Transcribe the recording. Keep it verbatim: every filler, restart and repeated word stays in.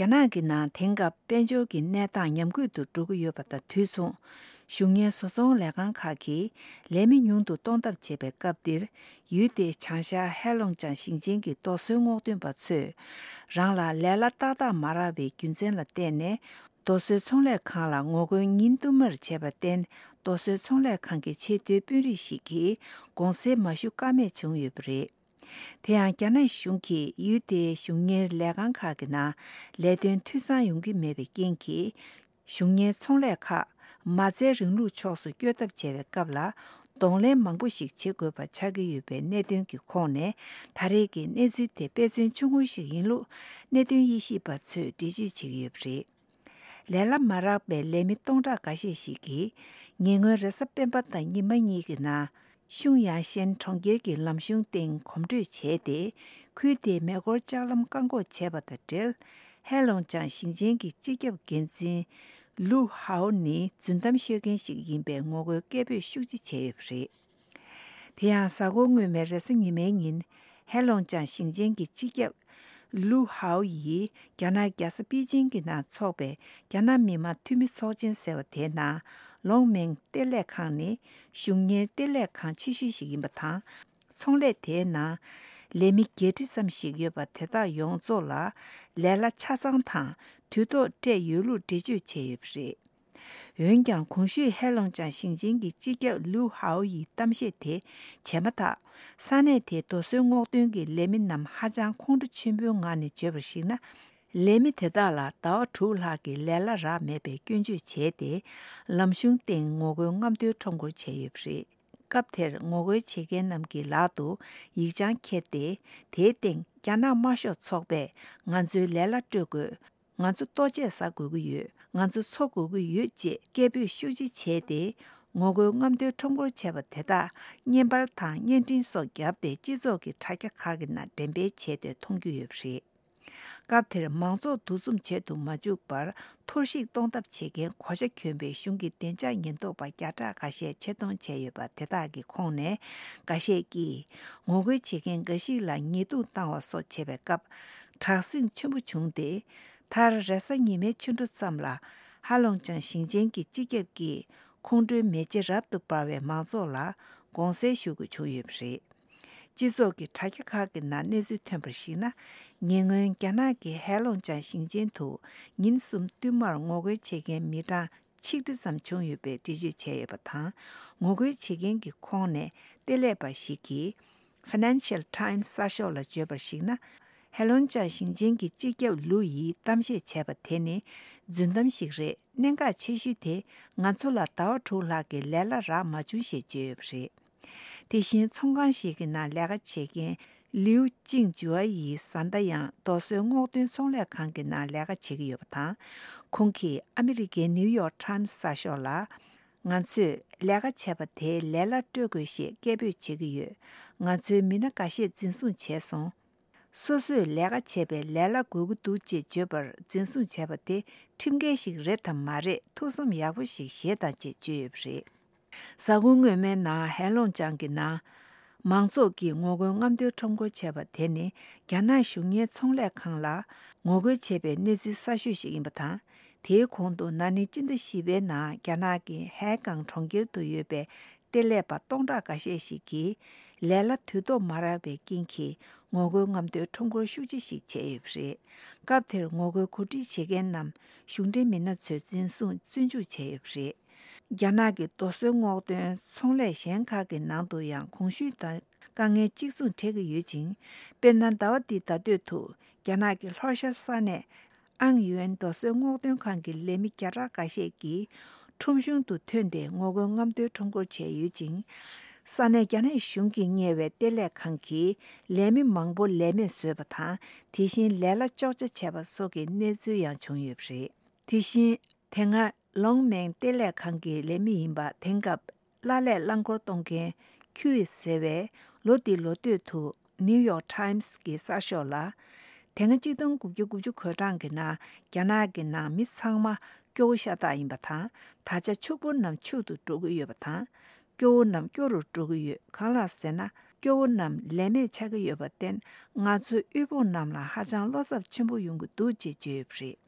རྒྱ་ནག་གི་ནང་དེང་སྐབས་དཔལ་འབྱོར་གྱི་གནས་སྟངས་ཉམས་རྒུད་དུ་འགྲོ་གི་ཡོད་པ་དང་དུས་མཚུངས། གཞུང་གཉེར་བཟོ་ཚོང་ལས་ཁང་ཁག་གིས་ལས་མི་ཉུང་དུ་གཏོང་ཐབས་བྱེད་པའི་སྐབས་འདིར། ཡུལ་དེའི་བྱང་ཤར་ཧེ་ལོང་ཅང་ཞིང་ཆེན་གྱི་རྡོ་སོལ་སྔོག་འདོན་པ་ཚོས། རང་ལ་ལས་གླ་ཏག་ཏག་མ་རག་པའི་རྒྱུ་མཚན་ལ་བརྟེན་ནས། རྡོ་སོལ་ཚོང་ལས་ཁང་ལ་ངོ་རྒོལ་ཉིན་བསྟུད་མར་བྱས་པར་བརྟེན། རྡོ་སོལ་ཚོང་ལས་ཁང་གི་ཆེས་མཐོའི་དཔོན་རིགས་ཤིག་གིས་དགོང་ཟས་མ་ཞུ་ཀ་མེད་བྱུང་ཡོད་པ་རེད། དེ་ཡང་རྒྱ་ནག་གཞུང་གིས་ཡུལ་དེའི་གཞུང་གཉེར་ལས་ཁང་ཁག་གི་ནང་ལས་དོན་འཐུས་ཚང་ཡོང་གི་མེད་པའི་རྐྱེན་གྱིས། གཞུང་གཉེར་ཚོང་ལས་ཁག་མ་རྩའི་རིང་ལུགས་ཕྱོགས་སུ་བསྐྱོད་ཐབས་བྱས་པའི་སྐབས་ལ། གདོང་ལེན་མང་པོ་ཞིག་བྱེད་དགོས་པ་ཆགས་ཀྱི་ཡོད་པའི་གནད་དོན་གྱི་ཁོངས་ནས། ད་རེས་ཀྱི་གནས་ཚུལ་དེ་དཔེ་མཚོན་ཆུང་ངུ་ཞིག་ཡིན་ལུགས་གནད་དོན་དབྱེ་ཞིབ་པ་ཚོས་འགྲེལ་བརྗོད་བྱེད་ཀྱི་ཡོད་པ་རེད། ལས་གླ་མ་རག་པའི་ལས་མི་སྟོང་ཕྲག་འགའ་ཤས་ཤིག་གིས། ཉེ་སྔོན་རེས་གཟའ་སྤེན་པ་དང་ཉི་མ་གཉིས་ཀྱི་ནང་། ཤུང་ཡང་ཤན་གྲོང་ཁྱེར་གྱི་ལམ་གཞུང་སྟེང་གོམ་བགྲོད་བྱས་ཏེ། ཁུལ་དེའི་མེ་འཁོར་ལྕགས་ལམ་བཀག་འགོག་བྱས་པ་དང་འབྲེལ། ཧེ་ལོང་ཅང་ཞིང་ཆེན་གྱི་སྤྱི་ཁྱབ་འགན་འཛིན་ལུའུ་ཧའོ་ནི་རྫུན་གཏམ་ཤོད་མཁན་ཞིག་ཡིན་པའི་ངོ་རྒོལ་སྐད་འབོད་ཤུགས་ཆེ་བྱས་ཡོད་པ་རེད། དེ་ཡང་གཟའ་འཁོར་སྔོན་མའི་རེས་གཟའ་ཉི་མའི་ཉིན། ཧེ་ལོང་ཅང་ཞིང་ཆེན་གྱི་སྤྱི་ཁྱབ་ལུའུ་ཧའོ་ཡིས་རྒྱ་ནག་རྒྱལ་ས་པེ་ཅིང་གི་ནང་འཚོགས་པའི་རྒྱ་ནག་མི་དམངས་འཐུས་མི་ཚོགས་ཆེན་ཟེར་བ་དེའི་ནང་། ལོང་མེང་གཏེར་ལས་ཁང་ནི་གཞུང་གཉེར་གཏེར་ལས་ཁང་ཆེ་ཤོས་ཤིག་ཡིན་པ་དང་། ཚོང་ལས་དེའི་ནང་ལས་མི་བརྒྱད་ཁྲི་ཙམ་ཞིག་ཡོད་པ་དེ་དག་ཡོངས་རྫོགས་ལ་ལས་གླ་ཆ་ཚང་དང་དུས་ཐོག་སྤྲད་ཡོད་ལུགས་འགྲེལ་བརྗོད་བྱས་ཡོད་པ་རེད། འོན་ཀྱང་། གོང་ཞུས་ཧེ་ལོང་ཅང་ཞིང་ཆེན་གྱི་སྤྱི་ཁྱབ་ལུའུ་ཧའོ་ཡི་གཏམ་བཤད་དེ་བྱས་མ་ཐག་ས་གནས་དེའི་རྡོ་སོལ་སྔོག་འདོན་གྱི་ལས་མི་རྣམས་ཧ་ཅང་ཁོང་ཁྲོ་ཆེན་པོའི་ངང་ནས་བརྗོད་པར་གཞིགས་ན། ལས་མི་དེ་དག་ལ་ཟླ་བ་དྲུག་ལྷག་གི་ལས་གླ་རག་མེད་པའི་སྐྱོན་བརྗོད་བྱས་ཏེ། ལམ་གཞུང་སྟེང་ངོ་རྒོལ་རྔམ་སྟོན་ཁྲོམ་སྐོར་བྱས་ཡོད་པ་རེད། སྐབས་དེར་ངོ་རྒོལ་བྱེད་མཁན་རྣམས་ཀྱི་ལག་ཏུ་ཡིག་ཆང་འཁྱེར་ཏེ། དེའི་སྟེང་རྒྱ་ནག་དམར་ཤོག་ཚོགས་པས་ང་ཚོའི་ལས་གླ་སྤྲོད་དགོས། ང་ཚོ་ལྟོ་ཆས་ཟ་དགོས་ཀྱི་ཡོད། ང་ཚོ་འཚོ་དགོས་ཀྱི་ཡོད་ཅེས་སྐད་འབོད་ཤུགས་ཆེ་བྱས་ཏེ། ངོ་རྒོལ་རྔམ་སྟོན་ཁྲོམ་སྐོར་བྱས་པ་དེ་དག་བརྙན་པར་དང་བརྙན་འཕྲིན་སོགས་བརྒྱབ་སྟེ། སྤྱི་ཚོགས་ཀྱི་དྲ་རྒྱ་ཁག་གི་ནང་འགྲེམས་སྤེལ་བྱས་ཏེ་མཐོང་རྒྱུ་ཡོད་པ་རེད། སྐབས་དེར་མང་ཚོགས་འདུ་འཛོམས་བྱེད་དུ་མ་བཅུག་པར་ཐོར་བཤིག་གཏོང་ཐབས་བྱེད་མཁན་གོ་ཆ་གྱོན་པའི་གཞུང་གི་བདེ་འཇགས་ཉེན་རྟོག་པ་བརྒྱ་ཕྲག་འགའ་ཤས་ཆེད་གཏོང་བྱས་ཡོད་པ་དེ་དག་གི་ཁོངས་ནས་འགའ་ཤས་ཀྱིས་ངོ་རྒོལ་བྱེད་མཁན་འགའ་ཞིག་ལ་ཉེས་རྡུང་བཏང་བ་སོགས་བྱས་པའི་སྐབས། དྲག་ཟིང་ཆེན་པོ་བྱུང་སྟེ། མཐར་རེས་གཟའ་ཉི་མའི་ཕྱི་དྲོ་ཙམ་ལ་ཧ་ལོང་ཅང་ཞིང་ཆེན་གྱི་སྤྱི་ཁྱབ་ཀྱིས་ཁོང་ཁྲོའི་མེ་ལྕེ་རབ་ཏུ་འབར་བའི་མང་ཚོགས་ལ་དགོངས་སེལ་ཞུ་དགོས་བྱུང་ཡོད་པ་རེད། སྤྱི་ཚོགས་ཀྱི་དྲ་རྒྱ་ཁག་གི་ནང་གནས་ཚུལ་ཐོན་པར་གཞིགས་ན། ཉེ་སྔོན་རྒྱ་ནག་གི་ཧེ་ལོང་ཅང་ཞིང་ཆེན་དུ་ཉིན་གསུམ་བསྟུད་མར་ངོ་རྒོལ་བྱེད་མཁན་མི་གྲངས་ཆིག་ཁྲི་ཙམ་བྱུང་ཡོད་པའི་འགྲེལ་བརྗོད་བྱས་ཡོད་པ་དང་། ངོ་རྒོལ་བྱེད་མཁན་གྱི་ཁོངས་ནས་གཏེར་ལས་པ་ཞིག་གིས། Financial Times་གསར་ཤོག་ལ་བརྗོད་པར་གཞིགས་ན། ཧེ་ལོང་ཅང་ཞིང་ཆེན་གྱི་སྤྱི་ཁྱབ་ལུའུ་ཡིས་གཏམ་བཤད་བྱས་པ་དེ་ནི་རྫུན་གཏམ་ཞིག་རེད། གནད་འགག་ཆེ་ཤོས་དེ་ང་ཚོ་ལ་ཟླ་བ་དྲུག་ལྷག་གི་ལས་གླ་རག་མ་བྱུང་ཞེས་བརྗོད་ཡོད་པ་རེད། དེ་བཞིན་ཚོང་ཁང་ཞིག་གི་ནང་ལས་ཀ་བྱེད་མཁན་ལིའུ་ཅིང་ཇུའ་ཡིས་བཟའ་ཟླ་ཡང་རྡོ་སོལ་སྔོག་འདོན་ཚོང་ལས་ཁང་གི་ནང་ལས་ཀ་བྱེད་ཀྱི་ཡོད་པ་དང་། ཁོང་གིས་ཨ་མི་རི་ཀའི་ནིའུ་ཡོག་ཊའིམ་གསར་ཤོག་ལ། ང་ཚོས་ལས་ཀ་བྱས་པ་དེའི་ལས་གླ་སྤྲོད་དགོས་ཞེས་སྐད་འབོད་བྱེད་ཀྱི་ཡོད། ང་ཚོའི་མི་སྣ་འགའ་ཤས་འཛིན་བཟུང་བྱས་སོང་། སོ་སོས་ལས་ཀ་བྱས་པའི་ལས་གླ་དགོས་ཀྱི་འདུག་ཅེས་བརྗོད་པར་འཛིན་བཟུང་བྱས་པ་དེ་ཁྲིམས་འགལ་ཞིག་རེད་དམ་མ་རེད་ཐུགས་བསམ་ཡག་པོ་ཞིག་བཞེས་དང་ཅེས་བརྗོད་ཡོད་པ་རེད། གཟའ་འཁོར་སྔོན་མའི་ནང་ཧེ་ལོང་ཅང་གི་ནང་མང་ཚོགས་ཀྱིས་ངོ་རྒོལ་རྔམ་སྟོན་ཁྲོམ་སྐོར་བྱས་པ་དེ་ནི་རྒྱ་ནག་གཞུང་གཉེར་ཚོང་ལས་ཁང་ལ་ངོ་རྒོལ་བྱས་པའི་གནས་ཚུལ་གསར་ཤོས་ཤིག་ཡིན་པ་དང་། དེའི་གོང་དུ་ན་ནིང་སྤྱི་ཟླ་བཞི་པའི་ནང་རྒྱ་ནག་གི་ཧའེ་ཀང་གྲོང་ཁྱེར་དུ་ཡོད་པའི་གཏེར་ལས་པ་སྟོང་ཕྲག་འགའ་ཤས་ཤིག་གིས་ལས་གླ་དུས་ཐོག་མ་རག་པའི་རྐྱེན་གྱིས་ངོ་རྒོལ་རྔམ་སྟོན་ཁྲོམ་སྐོར་ཤུགས་ཆེ་ཞིག་བྱས་ཡོད་པ་རེད། སྐབས་དེར་ངོ་རྒོལ་གོ་སྒྲིག་བྱེད་མཁན་རྣམས་གཞུང་འབྲེལ་མི་སྣ་ཚོས་འཛིན་བཟུང་བཙོན་འཇུག་བྱས་ཡོད་པ་རེད། རྒྱ་ནག་གི་རྡོ་སོལ་སྔོག་འདོན་ཚོང་ལས་གཞན་ཁག་གི་ནང་དུ་ཡང་གོང་ཞུས་ལྟར་དཀའ་ངལ་གཅིག་མཚུངས་འཕྲད་ཀྱི་ཡོད་ཅིང་། དཔེར་ན། ཟླ་བ་འདིའི་ཟླ་སྟོད་དུ་རྒྱ་ནག་གི་ལྷོ་ཤར་ས་གནས་ཨང་ཡུན་རྡོ་སོལ་སྔོག་འདོན་ཁང་གི་ལས་མི་བརྒྱ་ཕྲག་འགའ་ཤས་ཀྱིས་ཁྲོམ་གཞུང་དུ་ཐོན་ཏེ་ངོ་རྒོལ་རྔམ་སྟོན་ཁྲོམ་སྐོར་བྱས་ཡོད་ཅིང་། ས་གནས་རྒྱ་ནག་གཞུང་གིས་གཉེར་བའི་གཏེར་ལས་ཁང་གིས་ལས་མི་མང་པོ་ལས་མེད་བཟོས་པ་དང་། དེ་བཞིན་ལས་གླ་གཅོག་ཆ་བྱས་པ་སོགས་ཀྱི་གནས་ཚུལ་ཡང་བྱུང་ཡོད་པ་རེད། དེ་བཞིན། དེ་སྔ་ལོང་མེང་གཏེར་ལས་ཁང་གི་ལས་མི་ཡིན་པ། དེང་སྐབས་གླ་ལས་རླངས་འཁོར་གཏོང་མཁན་ཁྱུ་ཡི་ཟེར་བས་ལོ་འདིའི་ལོ་སྟོད་དུ་ནིའུ་ཡོག་ཊའིམ་སི་གི་གསར་ཤོག་ལ། དེ་སྔ་གཅིག་སྟོང་དགུ་བརྒྱ་དགུ་ཅུ་གོ་གྲངས་ཀྱི་ནང་རྒྱ་ནག་གི་ནང་མི་ཚང་མ་སྐྱོ་བོ་ཤ་སྟག་ཡིན་པ་དང་། ད་ཆ་ཕྱུག་པོ་རྣམས་ཕྱུག་ཏུ་འགྲོ་གི་ཡོད་པ་དང་། སྐྱོ་བོ་རྣམས་སྐྱོ་རུ་འགྲོ་གི་ཡོད། གང་ལགས་ཟེར་ན། སྐྱོ་བོ་རྣམས་ལས་མེད་ཆགས་ཀྱི་ཡོད་པར་བརྟེན། ང་ཚོའི་དབུལ་ཕོངས་རྣམས་ལ་ཧ་ཅང་བློ་འཚབ་ཆེན་པོ་ཡོང་གི་འདུག་ཅེས་བརྗོད་ཡོད་པ་རེད།